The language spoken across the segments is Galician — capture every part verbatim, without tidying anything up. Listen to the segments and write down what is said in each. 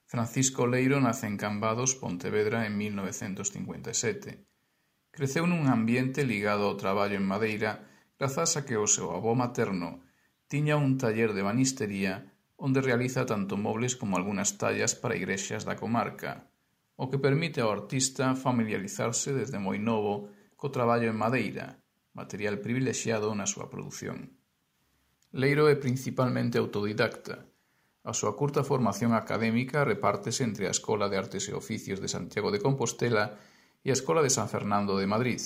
Francisco Leiro nace en Cambados, Pontevedra, en mil novecentos cincuenta e sete. Creceu nun ambiente ligado ao traballo en madeira grazas a que o seu avó materno tiña un taller de banistería onde realiza tanto mobles como algunhas tallas para igrexas da comarca, o que permite ao artista familiarizarse desde moi novo co traballo en madeira, material privilexiado na súa produción. Leiro é principalmente autodidacta. A súa curta formación académica repártese entre a Escola de Artes e Oficios de Santiago de Compostela e a Escola de San Fernando de Madrid.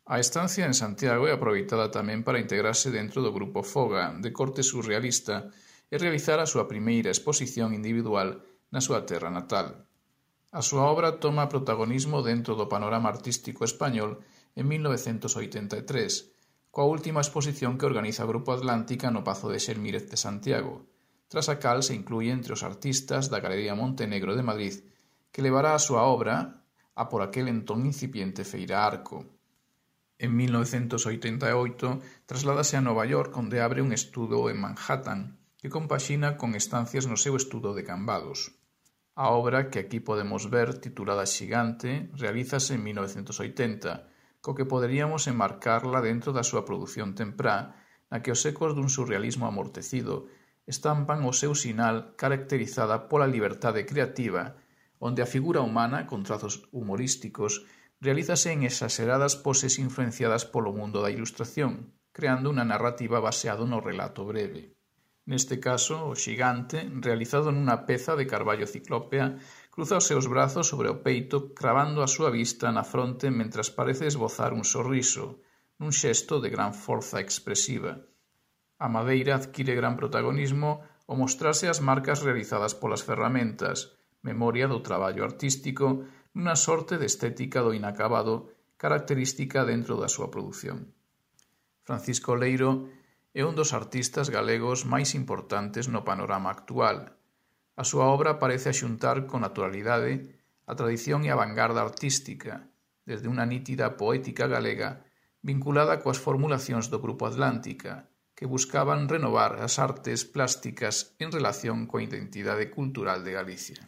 A estancia en Santiago é aproveitada tamén para integrarse dentro do grupo Foga, de corte surrealista, e realizar a súa primeira exposición individual na súa terra natal. A súa obra toma protagonismo dentro do panorama artístico español en mil novecentos oitenta e tres, coa última exposición que organiza o Grupo Atlántica no Pazo de Xelmírez de Santiago, tras a cal se inclúe entre os artistas da Galería Montenegro de Madrid, que levará a súa obra a por aquel entón incipiente Feira Arco. En mil novecentos oitenta e oito trasládase a Nova York, onde abre un estudo en Manhattan, que compaxina con estancias no seu estudo de Cambados. A obra que aquí podemos ver, titulada Xigante, realízase en mil novecentos oitenta, co que poderíamos enmarcarla dentro da súa produción temprá, na que os ecos dun surrealismo amortecido estampan o seu sinal caracterizada pola liberdade creativa, onde a figura humana, con trazos humorísticos, realízase en exaseradas poses influenciadas polo mundo da ilustración, creando unha narrativa baseado no relato breve. Neste caso, o xigante, realizado nunha peza de carballo ciclópea, cruza os seus brazos sobre o peito, cravando a súa vista na fronte mentras parece esbozar un sorriso, nun xesto de gran forza expresiva. A madeira adquire gran protagonismo ao mostrarse as marcas realizadas polas ferramentas, memoria do traballo artístico, nunha sorte de estética do inacabado característica dentro da súa produción. Francisco Leiro é un dos artistas galegos máis importantes no panorama actual. A súa obra parece axuntar con naturalidade a tradición e a vanguarda artística, desde unha nítida poética galega vinculada coas formulacións do Grupo Atlántica, que buscaban renovar as artes plásticas en relación coa identidade cultural de Galicia.